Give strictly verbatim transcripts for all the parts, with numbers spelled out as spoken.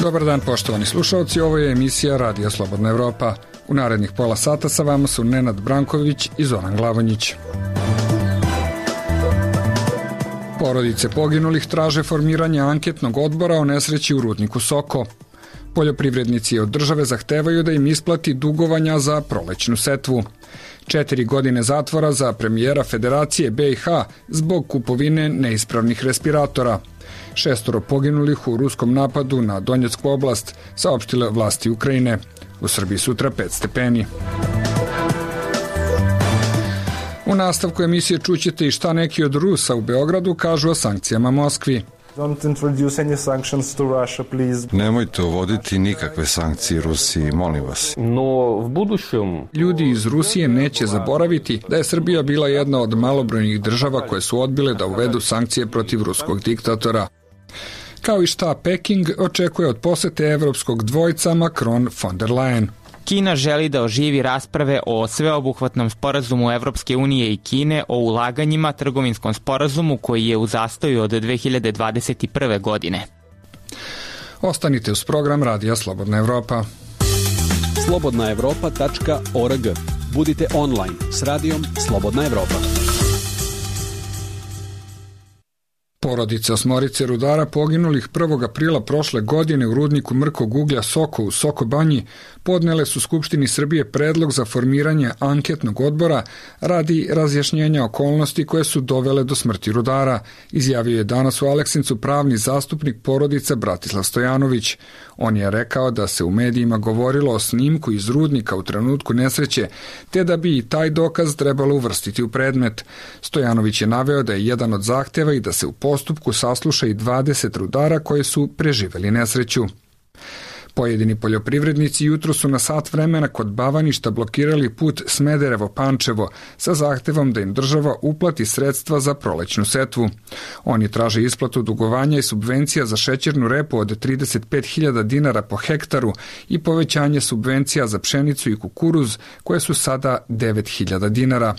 Dobar dan poštovani slušalci, ovo je emisija Radija Slobodna Evropa. U narednih pola sata sa vama su Nenad Branković i Zoran Glavonjić. Porodice poginulih traže formiranje anketnog odbora o nesreći u rudniku Soko. Poljoprivrednici od države zahtevaju da im isplati dugovanja za prolećnu setvu. Četiri godine zatvora za premijera Federacije B i H zbog kupovine neispravnih respiratora. Šestoro poginulih u ruskom napadu na Donjecku oblast, saopštile vlasti Ukrajine. U Srbiji sutra pet stepeni. U nastavku emisije čućete i šta neki od Rusa u Beogradu kažu o sankcijama Moskvi. Nemojte uvoditi nikakve sankcije Rusiji, molim vas. Ljudi iz Rusije neće zaboraviti da je Srbija bila jedna od malobrojnih država koje su odbile da uvedu sankcije protiv ruskog diktatora. Kao i šta Peking očekuje od posete evropskog dvojca Macron-von der Leyen. Kina želi da oživi rasprave o sveobuhvatnom sporazumu Evropske unije i Kine o ulaganjima, trgovinskom sporazumu koji je u zastoju od dve hiljade dvadeset prve. godine. Ostanite uz program Radija Slobodna Evropa. slobodna evropa tačka org. Budite online s radijom Slobodna Evropa. Porodice osmorice rudara poginulih prvog aprila prošle godine u rudniku mrkog uglja Soko u Soko Banji podnele su Skupštini Srbije predlog za formiranje anketnog odbora radi razjašnjenja okolnosti koje su dovele do smrti rudara, izjavio je danas u Aleksincu pravni zastupnik porodica Bratislav Stojanović. On je rekao da se u medijima govorilo o snimku iz rudnika u trenutku nesreće, te da bi i taj dokaz trebalo uvrstiti u predmet. Stojanović je naveo da je jedan od zahteva i da se u postupku sasluša i dvadeset rudara koji su preživeli nesreću. Pojedini poljoprivrednici jutro su na sat vremena kod Bavaništa blokirali put Smederevo-Pančevo sa zahtevom da im država uplati sredstva za prolećnu setvu. Oni traže isplatu dugovanja i subvencija za šećernu repu od trideset pet hiljada dinara po hektaru i povećanje subvencija za pšenicu i kukuruz koje su sada devet hiljada dinara.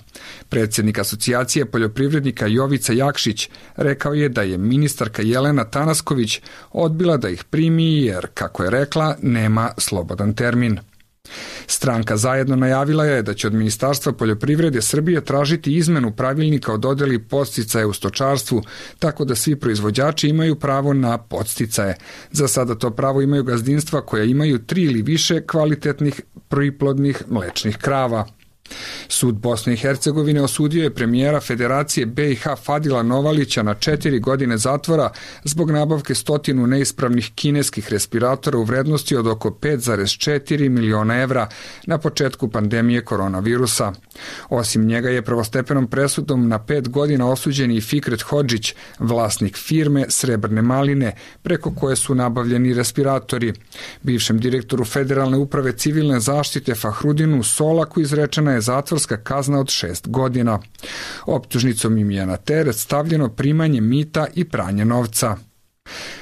Predsjednik asocijacije poljoprivrednika Jovica Jakšić rekao je da je ministarka Jelena Tanasković odbila da ih primi jer, kako je rekla, nema slobodan termin. Stranka Zajedno najavila je da će od Ministarstva poljoprivrede Srbije tražiti izmenu pravilnika o dodeli podsticaje u stočarstvu, tako da svi proizvođači imaju pravo na podsticaje. Za sada to pravo imaju gazdinstva koja imaju tri ili više kvalitetnih priplodnih mlečnih krava. Sud Bosne i Hercegovine osudio je premijera Federacije B i H Fadila Novalića na četiri godine zatvora zbog nabavke stotinu neispravnih kineskih respiratora u vrednosti od oko pet zarez četiri miliona evra na početku pandemije koronavirusa. Osim njega je prvostepenom presudom na pet godina osuđen i Fikret Hodžić, vlasnik firme Srebrne maline, preko koje su nabavljeni respiratori. Bivšem direktoru Federalne uprave civilne zaštite Fahrudinu Solaku izrečena je zatvorska kazna od šest godina. Optužnicom im je na teret stavljeno primanje mita i pranje novca.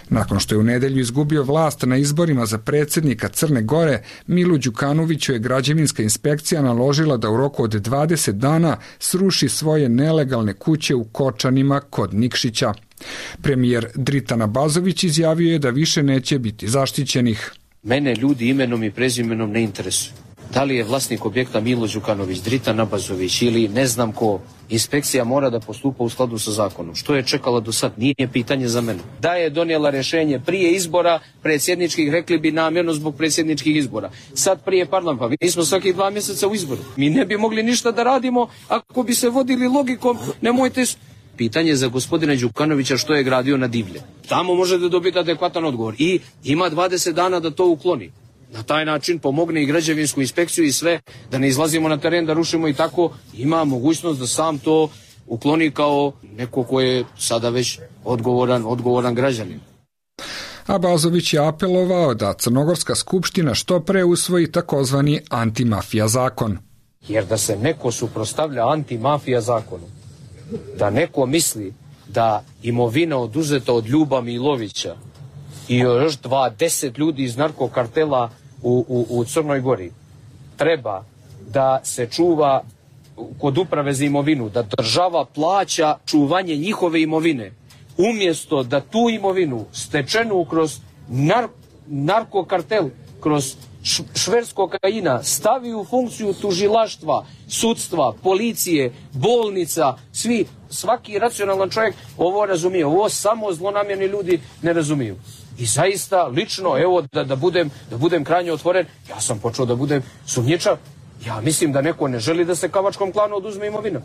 Nakon što je u nedelju izgubio vlast na izborima za predsjednika Crne Gore, Milu Đukanoviću je građevinska inspekcija naložila da u roku od dvadeset dana sruši svoje nelegalne kuće u Kočanima kod Nikšića. Premijer Dritan Abazović izjavio je da više neće biti zaštićenih. Mene ljudi imenom i prezimenom ne interesuju. Da li je vlasnik objekta Milo Đukanović, Dritan Abazović ili ne znam ko, inspekcija mora da postupa u skladu sa zakonom. Što je čekala do sad? Nije pitanje za mene. Da je donijela rješenje prije izbora predsjedničkih, rekli bi namjerno zbog predsjedničkih izbora. Sad prije parlamenta, pa mi smo svaki dva mjeseca u izboru. Mi ne bi mogli ništa da radimo ako bi se vodili logikom, nemojte... Pitanje za gospodina Đukanovića što je gradio na divlje. Tamo možete dobiti adekvatan odgovor i ima dvadeset dana da to ukloni. Na taj način pomogne i građevinsku inspekciju i sve, da ne izlazimo na teren, da rušimo i tako, ima mogućnost da sam to ukloni kao neko ko je sada već odgovoran, odgovoran građanin. Abazović je apelovao da Crnogorska skupština što pre usvoji takozvani antimafija zakon. Jer da se neko suprotstavlja antimafija zakonu, da neko misli da imovina oduzeta od Ljuba Milovića i još dvadeset ljudi iz narkokartela u, u, u Crnoj Gori treba da se čuva kod uprave za imovinu, da država plaća čuvanje njihove imovine, umjesto da tu imovinu stečenu kroz nar, narkokartel kroz šverc kokaina stavi u funkciju tužilaštva, sudstva, policije, bolnica, svi, svaki racionalan čovjek ovo razumije. Ovo samo zlonamjerni ljudi ne razumiju. I zaista, lično, evo, da, da, budem, da budem krajnje otvoren, ja sam počeo da budem sumnjičav. Ja mislim da neko ne želi da se kavačkom klanu oduzme imovina.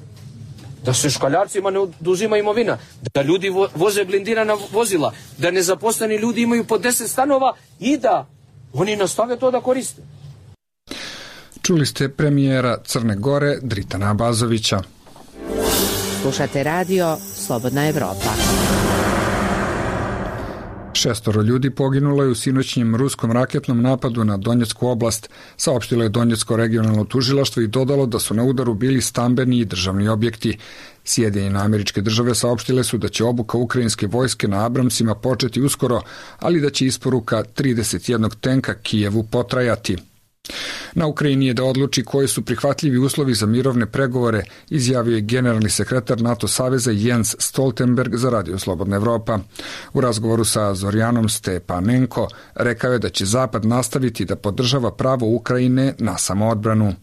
Da se škaljarcima ne oduzima imovina. Da ljudi vo, voze blindirana vozila. Da nezaposleni ljudi imaju po deset stanova i da oni nastave to da koriste. Čuli ste premijera Crne Gore Dritana Abazovića. Slušate radio Slobodna Evropa. Šestoro ljudi poginulo je u sinoćnjem ruskom raketnom napadu na Donjecku oblast, saopštilo je Donjecko regionalno tužilaštvo i dodalo da su na udaru bili stambeni i državni objekti. Sjedinjene Američke Države saopštile su da će obuka ukrajinske vojske na Abramsima početi uskoro, ali da će isporuka trideset jednog tenka Kijevu potrajati. Na Ukrajini je da odluči koji su prihvatljivi uslovi za mirovne pregovore, izjavio je generalni sekretar NATO saveza Jens Stoltenberg za Radio Slobodna Evropa. U razgovoru sa Zorjanom Stepanenko rekao je da će Zapad nastaviti da podržava pravo Ukrajine na samoodbranu.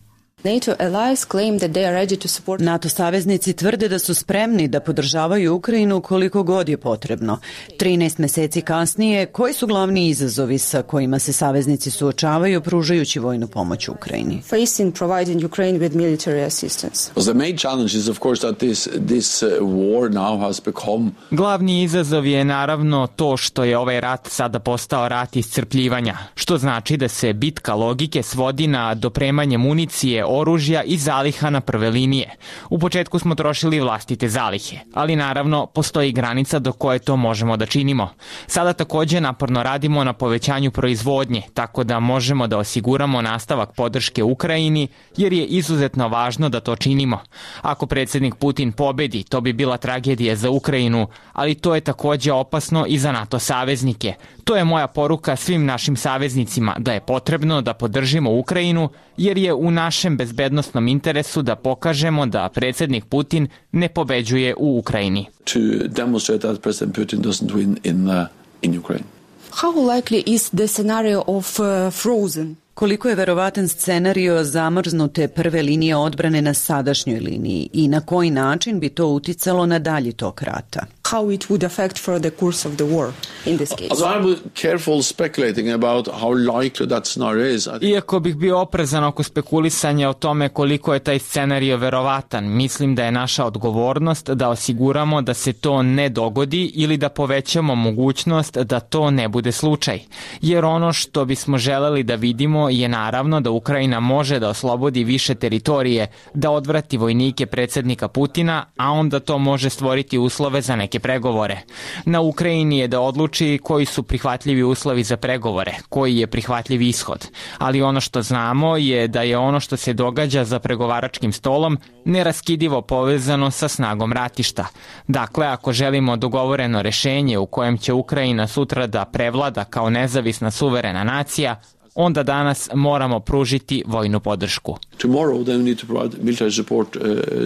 NATO saveznici tvrde da su spremni da podržavaju Ukrajinu koliko god je potrebno. trinaest meseci kasnije, koji su glavni izazovi sa kojima se saveznici suočavaju pružajući vojnu pomoć Ukrajini? Facing providing Ukraine with military assistance. The main challenge is of course that this this war now has become. Glavni izazov je naravno to što je ovaj rat sada postao rat iscrpljivanja, što znači da se bitka logike svodi na dopremanje municije, oružja i zaliha na prve linije. U početku smo trošili vlastite zalihe, ali naravno postoji granica do koje to možemo da činimo. Sada takođe naporno radimo na povećanju proizvodnje, tako da možemo da osiguramo nastavak podrške Ukrajini, jer je izuzetno važno da to činimo. Ako predsjednik Putin pobedi, to bi bila tragedija za Ukrajinu, ali to je takođe opasno i za NATO saveznike. To je moja poruka svim našim saveznicima, da je potrebno da podržimo Ukrajinu, jer je u našem bezbednostnom interesu da pokažemo da predsjednik Putin ne pobeđuje u Ukrajini. To demonstrate that President Putin doesn't win in uh, in Ukraine. How likely is the scenario of uh, frozen? Koliko je verovatan scenario zamrznute prve linije odbrane na sadašnjoj liniji i na koji način bi to uticalo na dalji tok rata? How it would affect for the course of the war in this case? So I'm careful speculating about how likely that scenario is. Iako bih bio oprezan oko spekulisanja o tome koliko je taj scenario verovatan, mislim da je naša odgovornost da osiguramo da se to ne dogodi ili da povećamo mogućnost da to ne bude slučaj. Jer ono što bismo želeli da vidimo je naravno da Ukrajina može da oslobodi više teritorije, da odvrati vojnike predsjednika Putina, a onda to može stvoriti uslove za neke pregovore. Na Ukrajini je da odluči koji su prihvatljivi uslovi za pregovore, koji je prihvatljiv ishod. Ali ono što znamo je da je ono što se događa za pregovaračkim stolom neraskidivo povezano sa snagom ratišta. Dakle, ako želimo dogovoreno rešenje u kojem će Ukrajina sutra da prevlada kao nezavisna suverena nacija, onda danas moramo pružiti vojnu podršku. Tomorrow they need to provide military support uh,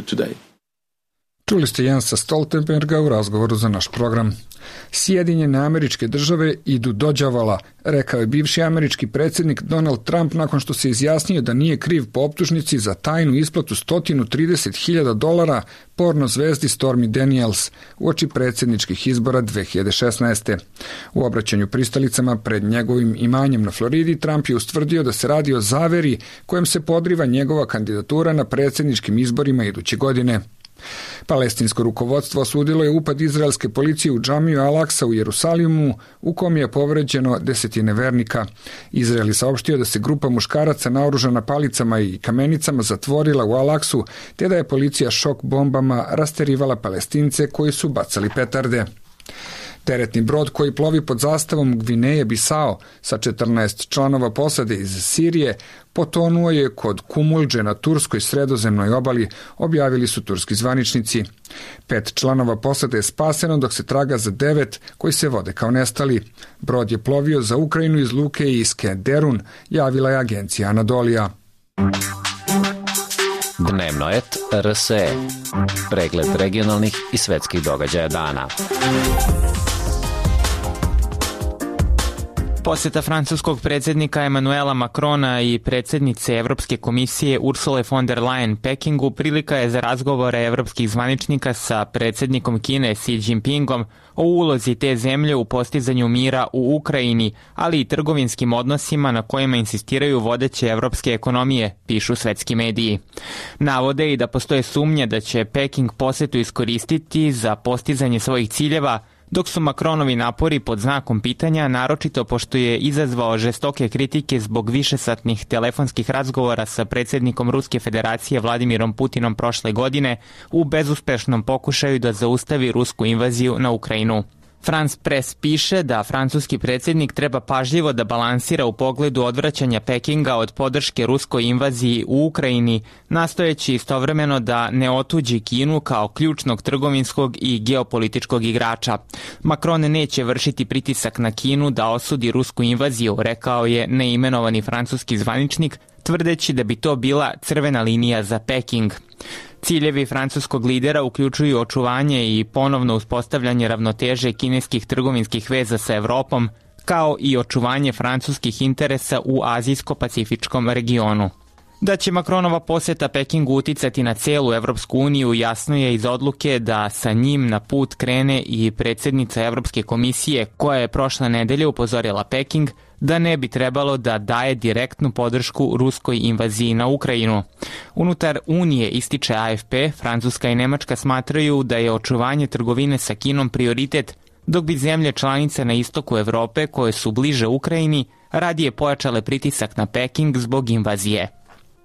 today. Čuli ste Jensa Stoltenberga u razgovoru za naš program. Sjedinjene Američke Države idu do đavola, rekao je bivši američki predsjednik Donald Trump nakon što se izjasnio da nije kriv po optužnici za tajnu isplatu sto trideset hiljada dolara porno zvezdi Stormy Daniels uoči predsjedničkih izbora dve hiljade šesnaeste. U obraćanju pristalicama pred njegovim imanjem na Floridi, Trump je ustvrdio da se radi o zaveri kojem se podriva njegova kandidatura na predsjedničkim izborima iduće godine. Palestinsko rukovodstvo osudilo je upad izraelske policije u džamiju Al-Aksa u Jerusalimu, u kom je povređeno desetine vernika. Izrael je saopštio da se grupa muškaraca naoružana palicama i kamenicama zatvorila u Al-Aksu, te da je policija šok bombama rasterivala Palestince koji su bacali petarde. Teretni brod koji plovi pod zastavom Gvineje Bisao sa četrnaest članova posade iz Sirije potonuo je kod Kumulđe na turskoj sredozemnoj obali, objavili su turski zvaničnici. Pet članova posade je spaseno, dok se traga za devet koji se vode kao nestali. Brod je plovio za Ukrajinu iz luke Iske Derun, javila je agencija Anadolija. Dnevnoet R S E. Pregled regionalnih i svetskih događaja dana. Poseta francuskog predsjednika Emanuela Macrona i predsjednice Evropske komisije Ursule von der Leyen Pekingu prilika je za razgovore evropskih zvaničnika sa predsjednikom Kine Xi Jinpingom o ulozi te zemlje u postizanju mira u Ukrajini, ali i trgovinskim odnosima na kojima insistiraju vodeće evropske ekonomije, pišu svetski mediji. Navode i da postoje sumnje da će Peking posetu iskoristiti za postizanje svojih ciljeva, dok su Macronovi napori pod znakom pitanja, naročito pošto je izazvao žestoke kritike zbog višesatnih telefonskih razgovora sa predsjednikom Ruske federacije Vladimirom Putinom prošle godine u bezuspešnom pokušaju da zaustavi rusku invaziju na Ukrajinu. France Press piše da francuski predsjednik treba pažljivo da balansira u pogledu odvraćanja Pekinga od podrške ruskoj invaziji u Ukrajini, nastojeći istovremeno da ne otuđi Kinu kao ključnog trgovinskog i geopolitičkog igrača. Macron neće vršiti pritisak na Kinu da osudi rusku invaziju, rekao je neimenovani francuski zvaničnik, tvrdeći da bi to bila crvena linija za Peking. Ciljevi francuskog lidera uključuju očuvanje i ponovno uspostavljanje ravnoteže kineskih trgovinskih veza sa Evropom, kao i očuvanje francuskih interesa u azijsko-pacifičkom regionu. Da će Macronova poseta Pekingu uticati na celu Evropsku uniju jasno je iz odluke da sa njim na put krene i predsjednica Evropske komisije, koja je prošle nedelje upozorila Peking da ne bi trebalo da daje direktnu podršku ruskoj invaziji na Ukrajinu. Unutar Unije, ističe A F P, Francuska i Nemačka smatraju da je očuvanje trgovine sa Kinom prioritet, dok bi zemlje članice na istoku Evrope, koje su bliže Ukrajini, radije pojačale pritisak na Peking zbog invazije.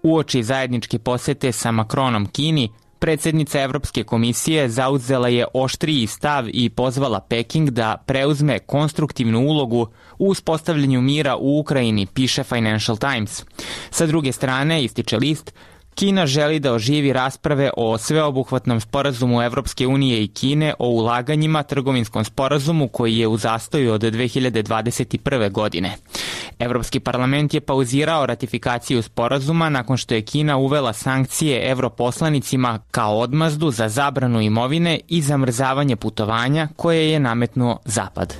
Uoči zajedničke posete sa Macronom Kini, predsjednica Evropske komisije zauzela je oštriji stav i pozvala Peking da preuzme konstruktivnu ulogu u uspostavljanju mira u Ukrajini, piše Financial Times. Sa druge strane, ističe list, Kina želi da oživi rasprave o sveobuhvatnom sporazumu Evropske unije i Kine o ulaganjima, trgovinskom sporazumu koji je u zastoju od dve hiljade dvadeset prve. godine. Evropski parlament je pauzirao ratifikaciju sporazuma nakon što je Kina uvela sankcije europoslanicima kao odmazdu za zabranu imovine i zamrzavanje putovanja koje je nametnuo Zapad.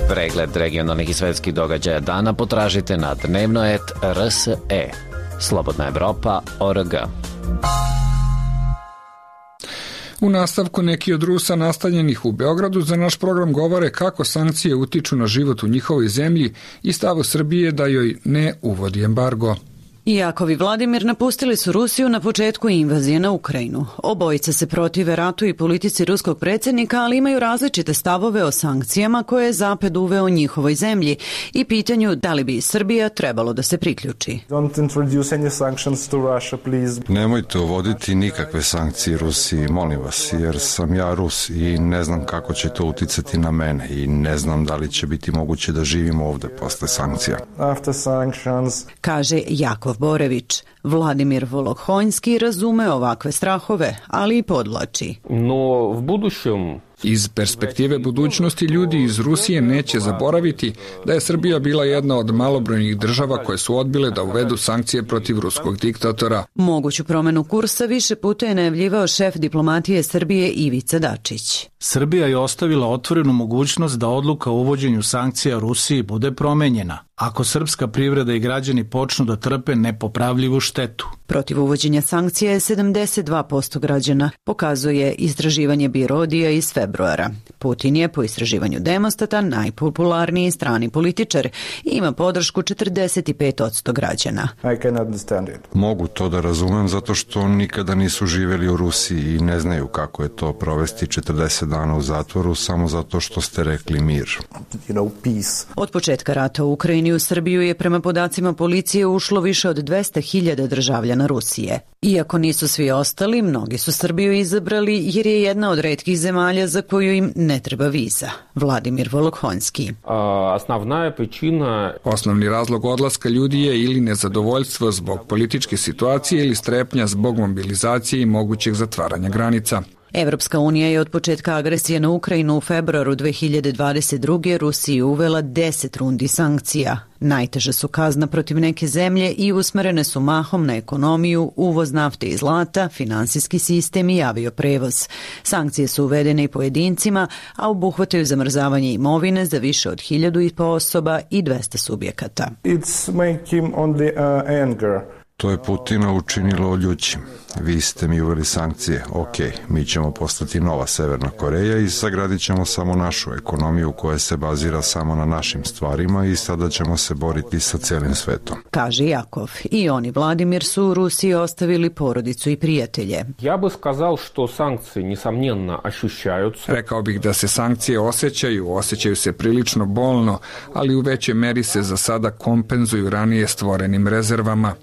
Pregled regionalnih i svetskih događaja dana potražite na dnevnoet R S E. Slobodna Evropa, O R G. U nastavku neki od Rusa nastanjenih u Beogradu za naš program govore kako sankcije utiču na život u njihovoj zemlji i stavu Srbije da joj ne uvodi embargo. Jakov i Vladimir napustili su Rusiju na početku invazije na Ukrajinu. Obojica se protive ratu i politici ruskog predsjednika, ali imaju različite stavove o sankcijama koje je Zapad uveo njihovoj zemlji i pitanju da li bi Srbija trebalo da se priključi. Nemojte uvoditi nikakve sankcije Rusiji, molim vas, jer sam ja Rus i ne znam kako će to uticati na mene i ne znam da li će biti moguće da živim ovde posle sankcija. Kaže Jakov Borević. Vladimir Volohonjski razume ovakve strahove, ali i podlači. No, v budućem Iz perspektive budućnosti ljudi iz Rusije neće zaboraviti da je Srbija bila jedna od malobrojnih država koje su odbile da uvedu sankcije protiv ruskog diktatora. Moguću promenu kursa više puta je najavljivao šef diplomatije Srbije Ivica Dačić. Srbija je ostavila otvorenu mogućnost da odluka o uvođenju sankcija Rusiji bude promenjena, ako srpska privreda i građani počnu da trpe nepopravljivu štetu. Protiv uvođenja sankcija je sedamdeset dva posto građana, pokazuje istraživanje Birodija iz februara. Putin je po istraživanju Demostata najpopularniji strani političar i ima podršku četrdeset pet posto građana. Mogu to da razumem zato što nikada nisu živjeli u Rusiji i ne znaju kako je to provesti četrdeset dana u zatvoru samo zato što ste rekli mir. Od početka rata u Ukrajini u Srbiju je prema podacima policije ušlo više od dvesta hiljada državljana Rusije. Iako nisu svi ostali, mnogi su Srbiju izabrali jer je jedna od retkih zemalja za koju im ne treba viza. Vladimir Volohonjski. Osnovni razlog odlaska ljudi je ili nezadovoljstvo zbog političke situacije ili strepnja zbog mobilizacije i mogućeg zatvaranja granica. Evropska unija je od početka agresije na Ukrajinu u februaru dve hiljade dvadeset druge. Rusiji uvela deset rundi sankcija. Najteža su kazna protiv neke zemlje i usmerene su mahom na ekonomiju, uvoz nafte i zlata, finansijski sistem i avioprevoz. Sankcije su uvedene i pojedincima, a obuhvataju zamrzavanje imovine za više od hiljadu i po osoba i dvesta subjekata. It's making on the uh, anger. To je Putina učinilo ljućim. Vi ste mi uveli sankcije, ok, mi ćemo postati nova Severna Koreja i sagradit ćemo samo našu ekonomiju koja se bazira samo na našim stvarima i sada ćemo se boriti sa celim svetom. Kaže Jakov. I on i Vladimir su u Rusiji ostavili porodicu i prijatelje. Ja bih skazao što sankcije nesomnенно ощущаются. Rekao bih da se sankcije osjećaju, osjećaju se prilično bolno, ali u većoj meri se za sada kompenzuju ranije stvorenim rezervama.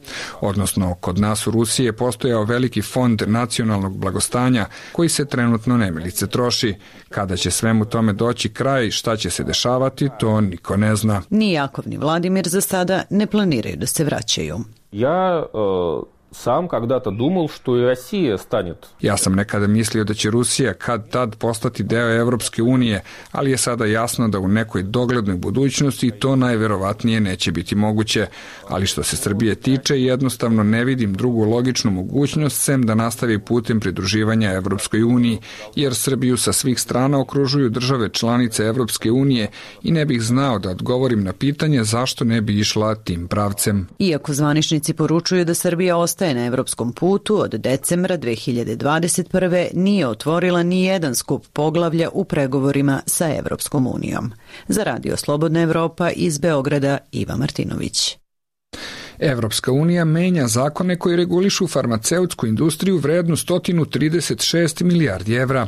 Odnosno, kod nas u Rusiji je postojao veliki fond nacionalnog blagostanja koji se trenutno nemilice troši. Kada će svemu tome doći kraj i šta će se dešavati, to niko ne zna. Ni Jakov ni Vladimir za sada ne planiraju da se vraćaju. Ja... Uh... Sam когда-то думал, что и Россия станет. Ja sam nekada mislio da će Rusija kad tad postati deo Evropske unije, ali je sada jasno da u nekoj doglednoj budućnosti to najverovatnije neće biti moguće. Ali što se Srbije tiče, jednostavno ne vidim drugu logičnu mogućnost sem da nastavi putem pridruživanja Evropskoj uniji, jer Srbiju sa svih strana okružuju države članice Evropske unije i ne bih znao da odgovorim na pitanje zašto ne bi išla tim pravcem. Iako zvaničnici poručuju da Srbija ostaje na evropskom putu, od decembra dve hiljade dvadeset prve. nije otvorila ni jedan skup poglavlja u pregovorima sa Evropskom unijom. Za Radio Slobodna Evropa iz Beograda, Iva Martinović. Evropska unija menja zakone koji regulišu farmaceutsku industriju vrednu sto trideset šest milijardi evra.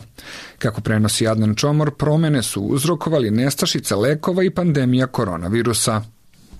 Kako prenosi Adnan Čomor, promene su uzrokovali nestašica lekova i pandemija koronavirusa.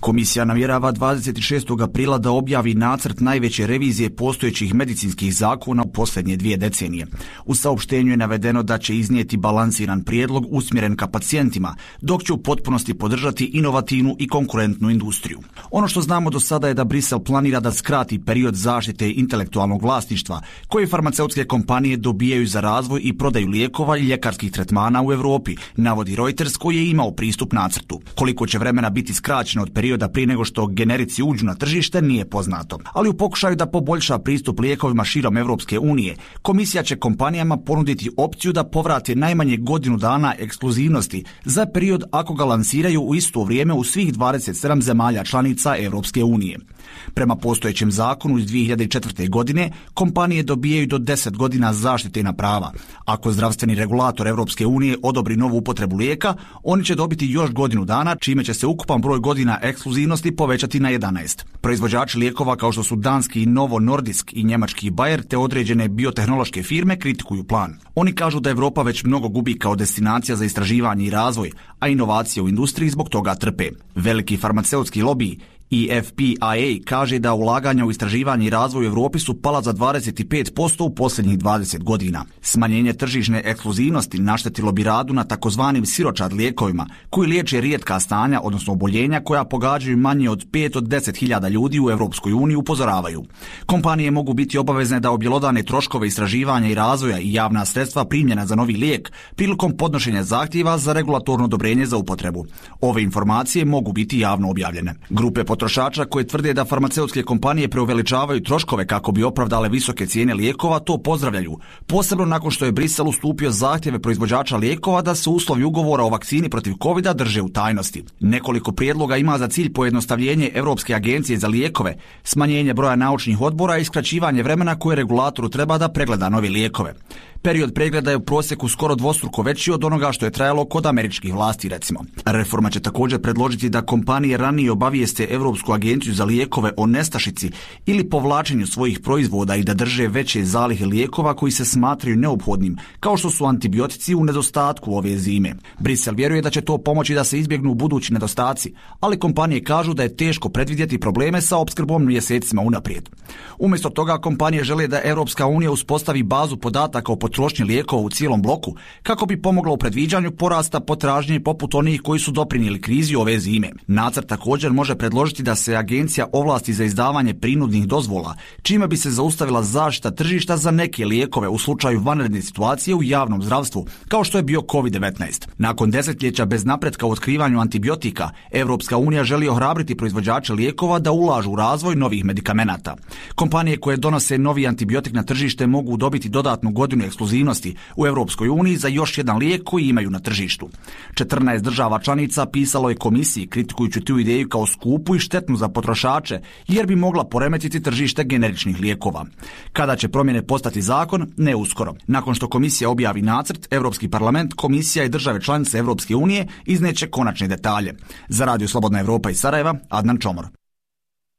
Komisija namjerava dvadeset šestog aprila da objavi nacrt najveće revizije postojećih medicinskih zakona u posljednje dvije decenije. U saopštenju je navedeno da će iznijeti balansiran prijedlog usmjeren ka pacijentima, dok će u potpunosti podržati inovativnu i konkurentnu industriju. Ono što znamo do sada je da Brisel planira da skrati period zaštite intelektualnog vlasništva koje farmaceutske kompanije dobijaju za razvoj i prodaju lijekova i ljekarskih tretmana u Europi, navodi Reuters koji je imao pristup nacrtu. Koliko će vremena biti skraćeno od perioda da prije nego što generici uđu na tržište nije poznato. Ali u pokušaju da poboljša pristup lijekovima širom Evropske unije, komisija će kompanijama ponuditi opciju da povrate najmanje godinu dana ekskluzivnosti za period ako ga lansiraju u isto vrijeme u svih dvadeset sedam zemalja članica Evropske unije. Prema postojećem zakonu iz dvije hiljade četvrte. godine, kompanije dobijaju do deset godina zaštitena prava. Ako zdravstveni regulator Evropske unije odobri novu upotrebu lijeka, oni će dobiti još godinu dana, čime će se ukupan broj godina ekskluzivnosti povećati na jedanaest. Proizvođači lijekova kao što su danski Novo Nordisk i njemački Bayer te određene biotehnološke firme kritikuju plan. Oni kažu da Evropa već mnogo gubi kao destinacija za istraživanje i razvoj, a inovacije u industriji zbog toga trpe. Veliki farmaceutski lobiji I F P I A kaže da ulaganja u istraživanje i razvoj u Europi su pala za dvadeset pet posto u posljednjih dvadeset godina. Smanjenje tržišne ekskluzivnosti naštetilo bi radu na takozvanim siročad lijekovima, koji liječe rijetka stanja, odnosno oboljenja koja pogađaju manje od pet od deset hiljada ljudi u Europskoj uniji, upozoravaju. Kompanije mogu biti obavezne da objelodane troškove istraživanja i razvoja i javna sredstva primljena za novi lijek prilikom podnošenja zahtjeva za regulatorno odobrenje za upotrebu. Ove informacije mogu biti javno objavljene. Grupe potrošača koje tvrde da farmaceutske kompanije preuveličavaju troškove kako bi opravdale visoke cijene lijekova to pozdravljaju, posebno nakon što je Brisel ustupio zahtjeve proizvođača lijekova da se uslovi ugovora o vakcini protiv kovida drže u tajnosti. Nekoliko prijedloga ima za cilj pojednostavljenje Europske agencije za lijekove, smanjenje broja naučnih odbora i skraćivanje vremena koje regulatoru treba da pregleda nove lijekove. Period pregleda je u prosjeku skoro dvostruko veći od onoga što je trajalo kod američkih vlasti, recimo. Reforma će također predložiti da kompanije ranije obavijeste Europsku agenciju za lijekove o nestašici ili povlačenju svojih proizvoda i da drže veće zalihe lijekova koji se smatraju neophodnim, kao što su antibiotici u nedostatku ove zime. Brisel vjeruje da će to pomoći da se izbjegnu budući nedostaci, ali kompanije kažu da je teško predvidjeti probleme sa opskrbom mjesecima unaprijed. Umjesto toga kompanije žele da Europska unija uspostavi bazu podataka o potrošnji lijekova u cijelom bloku kako bi pomogla u predviđanju porasta potražnje poput onih koji su doprinijeli krizi ove zime. Nacrt također može predložiti da se agencija ovlasti za izdavanje prinudnih dozvola, čime bi se zaustavila zaštita tržišta za neke lijekove u slučaju vanredne situacije u javnom zdravstvu, kao što je bio kovid devetnaest. Nakon desetljeća bez napretka u otkrivanju antibiotika, Europska unija želi ohrabriti proizvođače lijekova da ulažu u razvoj novih medikamenata. Kompanije koje donose novi antibiotik na tržište mogu dobiti dodatnu godinu ekskluzivnosti u Europskoj uniji za još jedan lijek koji imaju na tržištu. četrnaest država članica pisalo je komisiji kritikujući tu ideju kao skupu i štetnu za potrošače, jer bi mogla poremetiti tržište generičnih lijekova. Kada će promjene postati zakon? Ne uskoro. Nakon što komisija objavi nacrt, Europski parlament, komisija i države članice Europske unije izneće konačne detalje. Za Radio Slobodna Evropa iz Sarajeva, Adnan Čomor.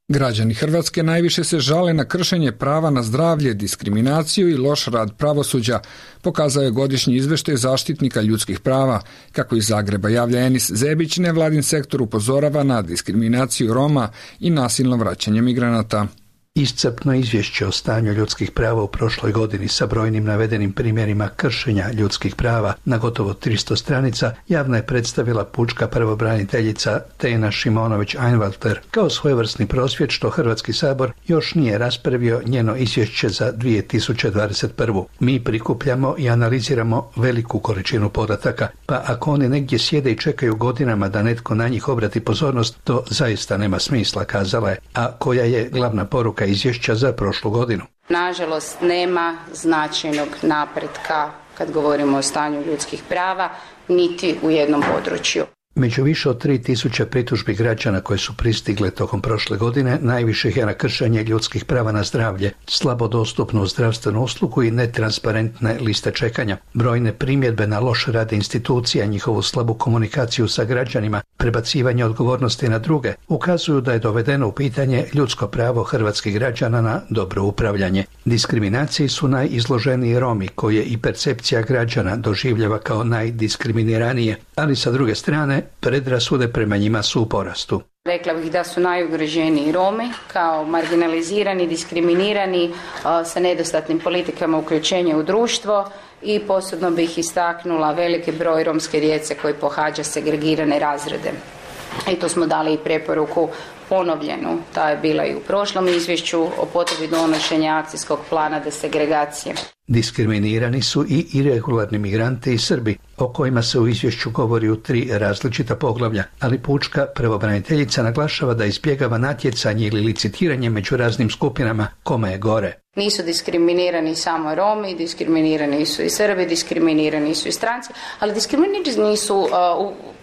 Građani Hrvatske najviše se žale na kršenje prava na zdravlje, diskriminaciju i loš rad pravosuđa, pokazao je godišnji izveštaj zaštitnika ljudskih prava. Kako iz Zagreba javlja Enis Zebić, nevladin sektor upozorava na diskriminaciju Roma i nasilno vraćanje migranata. Iscrpno izvješće o stanju ljudskih prava u prošloj godini sa brojnim navedenim primjerima kršenja ljudskih prava na gotovo tristo stranica javno je predstavila pučka pravobraniteljica Tena Šimonović-Einwalter kao svojevrsni prosvjed što Hrvatski sabor još nije raspravio njeno izvješće za dvije tisuće dvadeset prvu. Mi prikupljamo i analiziramo veliku količinu podataka, pa ako oni negdje sjede i čekaju godinama da netko na njih obrati pozornost, to zaista nema smisla, kazala je. A koja je glavna poruka izvješća za prošlu godinu? Nažalost, nema značajnog napretka kad govorimo o stanju ljudskih prava, niti u jednom području. Među više od tri tisuće pritužbi građana koje su pristigle tokom prošle godine, najviše ih je na kršenje ljudskih prava na zdravlje, slabo dostupnu zdravstvenu uslugu i netransparentne liste čekanja. Brojne primjedbe na loš rad institucija, njihovu slabu komunikaciju sa građanima, prebacivanje odgovornosti na druge, ukazuju da je dovedeno u pitanje ljudsko pravo hrvatskih građana na dobro upravljanje. Diskriminaciji su najizloženiji Romi, koje i percepcija građana doživljava kao najdiskriminiranije, ali sa druge strane predrasude prema njima su u porastu. Rekla bih da su najugroženiji Romi kao marginalizirani, diskriminirani, sa nedostatnim politikama uključenja u društvo i posebno bih istaknula veliki broj romske djece koji pohađa segregirane razrede. I tu smo dali i preporuku ponovljenu, ta je bila i u prošlom izvješću o potrebi donošenja akcijskog plana desegregacije. Diskriminirani su i iregularni migranti i Srbi, o kojima se u izvješću govori u tri različita poglavlja, ali pučka pravobraniteljica naglašava da izbjegava natjecanje ili licitiranje među raznim skupinama kome je gore. Nisu diskriminirani samo Romi, diskriminirani su i Srbi, diskriminirani su i stranci, ali diskriminirani su uh,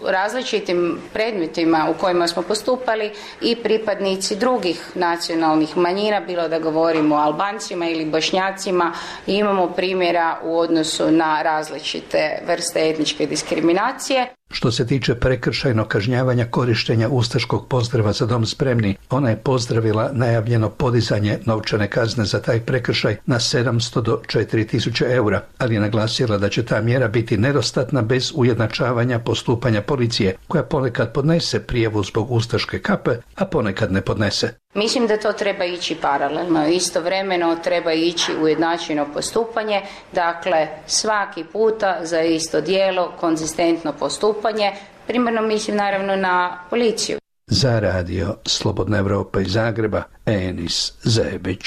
u različitim predmetima u kojima smo postupali i pripadnici drugih nacionalnih manjina, bilo da govorimo o Albancima ili Bošnjacima. I imamo primjera u odnosu na različite vrste etničke diskriminacije. Što se tiče prekršajnog kažnjavanja korištenja ustaškog pozdrava Za dom spremni, ona je pozdravila najavljeno podizanje novčane kazne za taj prekršaj na sedamsto do četiri tisuće eura, ali je naglasila da će ta mjera biti nedostatna bez ujednačavanja postupanja policije, koja ponekad podnese prijavu zbog ustaške kape, a ponekad ne podnese. Mislim da to treba ići paralelno, istovremeno treba ići ujednačeno postupanje, dakle svaki puta za isto djelo konzistentno postupanje, primarno mislim naravno na policiju. Za Radio Slobodna Evropa iz Zagreba, Enis Zebić.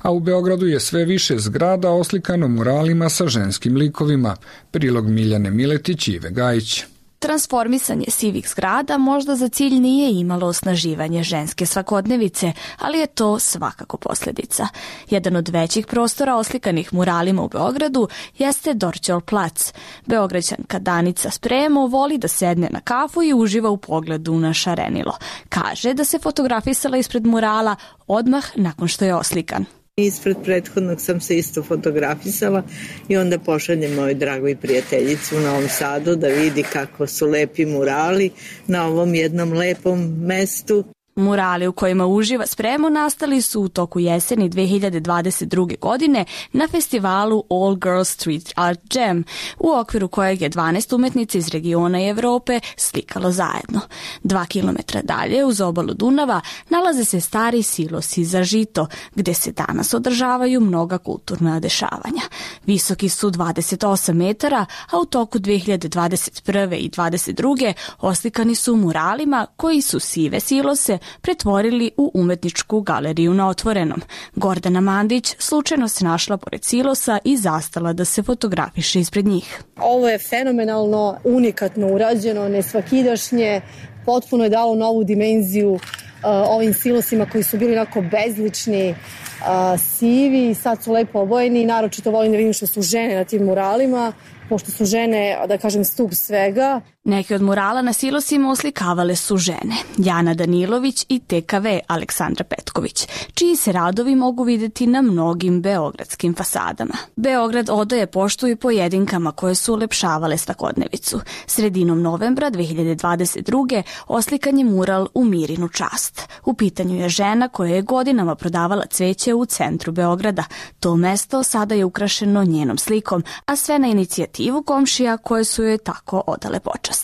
A u Beogradu je sve više zgrada oslikano muralima sa ženskim likovima. Prilog Miljane Miletić i Ive Gajić. Transformisanje sivih zgrada možda za cilj nije imalo osnaživanje ženske svakodnevice, ali je to svakako posljedica. Jedan od većih prostora oslikanih muralima u Beogradu jeste Dorćol plac. Beograđanka Danica Spremo voli da sedne na kafu i uživa u pogledu na šarenilo. Kaže da se fotografisala ispred murala odmah nakon što je oslikan. Ispred prethodnog sam se isto fotografisala i onda pošaljem mojoj dragoj prijateljici u Novom Sadu da vidi kako su lepi murali na ovom jednom lepom mestu. Murali u kojima uživa spremu nastali su u toku jeseni dve hiljade dvadeset druge. godine na festivalu All Girls Street Art Jam, u okviru kojeg je dvanaest umetnica iz regiona i Evrope slikalo zajedno. Dva kilometra dalje, uz obalu Dunava, nalaze se stari silosi za žito, gde se danas održavaju mnoga kulturna dešavanja. Visoki su dvadeset osam metara, a u toku dve hiljade dvadeset prve. i dvadeset druge. oslikani su muralima koji su sive silose pretvorili u umetničku galeriju na otvorenom. Gordana Mandić slučajno se našla pored silosa i zastala da se fotografiše ispred njih. Ovo je fenomenalno, unikatno urađeno, nesvakidašnje, potpuno je dalo novu dimenziju uh, ovim silosima koji su bili onako bezlični, uh, sivi, sad su lepo obojeni. Naročito volim da vidim što su žene na tim muralima, pošto su žene, da kažem, stup svega. Neki od murala na silosima oslikavale su žene, Jana Danilović i T K V Aleksandra Petković, čiji se radovi mogu videti na mnogim beogradskim fasadama. Beograd odaje poštu i pojedinkama koje su ulepšavale svakodnevicu. Sredinom novembra dve hiljade dvadeset druge. oslikan je mural U Mirinu čast. U pitanju je žena koja je godinama prodavala cveće u centru Beograda. To mesto sada je ukrašeno njenom slikom, a sve na inicijativu komšija koje su joj tako odale počast.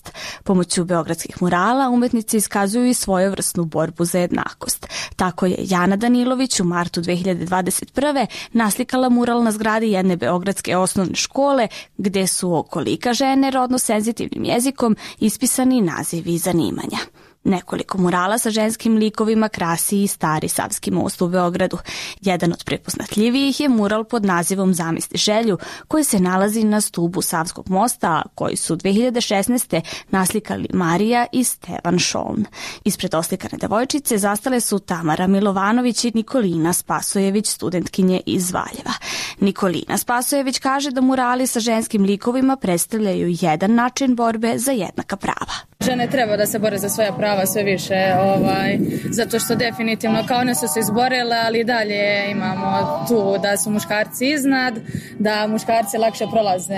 Pomoću beogradskih murala umetnici iskazuju i svojevrsnu borbu za jednakost. Tako je Jana Danilović u martu dve hiljade dvadeset prve. naslikala mural na zgradi jedne beogradske osnovne škole, gde su okolika žene rodno senzitivnim jezikom ispisani nazivi zanimanja. Nekoliko murala sa ženskim likovima krasi i stari Savski most u Beogradu. Jedan od prepoznatljivijih je mural pod nazivom Zamisli želju, koji se nalazi na stubu Savskog mosta, koji su dve hiljade šesnaeste. naslikali Marija i Stevan Šoln. Ispred oslikane devojčice zastale su Tamara Milovanović i Nikolina Spasojević, studentkinje iz Valjeva. Nikolina Spasojević kaže da murali sa ženskim likovima predstavljaju jedan način borbe za jednaka prava. Žene treba da se bore za svoja prava sve više, ovaj, zato što definitivno kao one su se izborile, ali dalje imamo tu da su muškarci iznad, da muškarci lakše prolaze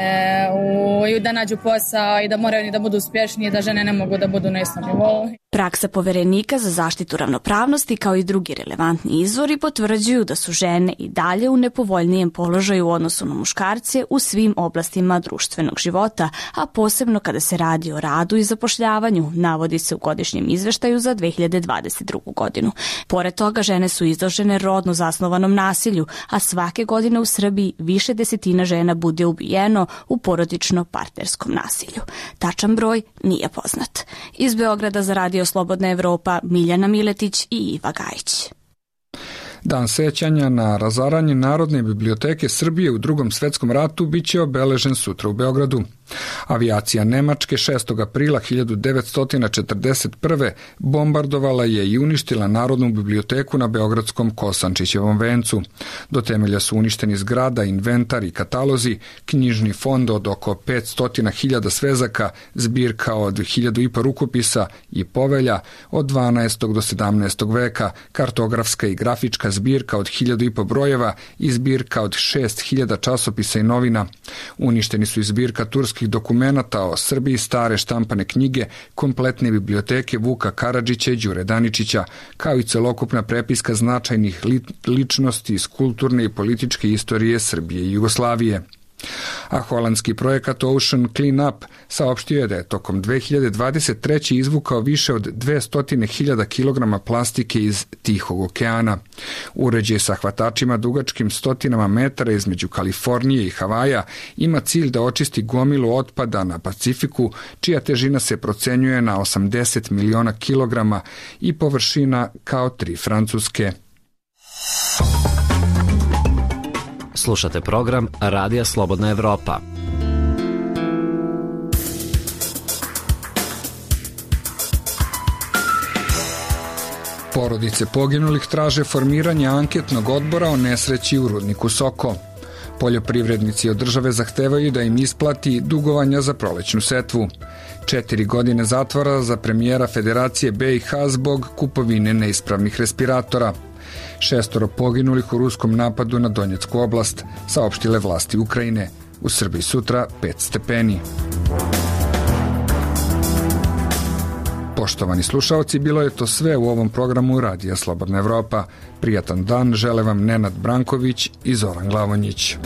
u, i da nađu posao i da moraju da budu uspješni, da žene ne mogu da budu na istom nivou. Praksa Poverenika za zaštitu ravnopravnosti kao i drugi relevantni izvori potvrđuju da su žene i dalje u nepovoljnijem položaju u odnosu na muškarce u svim oblastima društvenog života, a posebno kada se radi o radu i zapošljavanju, navodi se u godišnjem izveštaju za dve hiljade dvadeset drugu. godinu. Pored toga, žene su izložene rodno zasnovanom nasilju, a svake godine u Srbiji više desetina žena bude ubijeno u porodično-partnerskom nasilju. Tačan broj nije poznat. Iz Beograda za Radio Slobodna Evropa, Miljana Miletić i Iva Gajić. Dan sećanja na razaranje Narodne biblioteke Srbije u Drugom svetskom ratu biće obeležen sutra u Beogradu. Avijacija Nemačke šestog aprila hiljadu devetsto četrdeset prve. bombardovala je i uništila Narodnu biblioteku na beogradskom Kosančićevom vencu. Do temelja su uništeni zgrada, inventar i katalozi, knjižni fond od oko petsto hiljada svezaka, zbirka od hiljadu i po rukopisa i povelja od dvanaestog do sedamnaestog veka, kartografska i grafička zbirka od hiljadu i po brojeva i zbirka od šest hiljada časopisa i novina. Uništeni su i zbirka turskih dokumenata o Srbiji, stare štampane knjige, kompletne biblioteke Vuka Karadžića i Đure Daničića, kao i celokupna prepiska značajnih li, ličnosti iz kulturne i političke istorije Srbije i Jugoslavije. A holandski projekat Ocean Cleanup saopštio je da je tokom dve hiljade dvadeset treće. izvukao više od dvesta hiljada kilograma plastike iz Tihog okeana. Uređaj sa hvatačima dugačkim stotinama metara između Kalifornije i Havaja ima cilj da očisti gomilu otpada na Pacifiku, čija težina se procenjuje na osamdeset miliona kilograma i površina kao tri Francuske. Slušate program Radija Slobodna Evropa. Porodice poginulih traže formiranje anketnog odbora o nesreći u rudniku Soko. Poljoprivrednici od države zahtevaju da im isplati dugovanja za prolećnu setvu. Četiri godine zatvora za premijera Federacije B i H zbog kupovine neispravnih respiratora. Šestoro poginulih u ruskom napadu na Donjecku oblast, saopštile vlasti Ukrajine. U Srbiji sutra pet stepeni. Poštovani slušalci, bilo je to sve u ovom programu Radija Slobodna Evropa. Prijatan dan žele vam Nenad Branković i Zoran Glavonjić.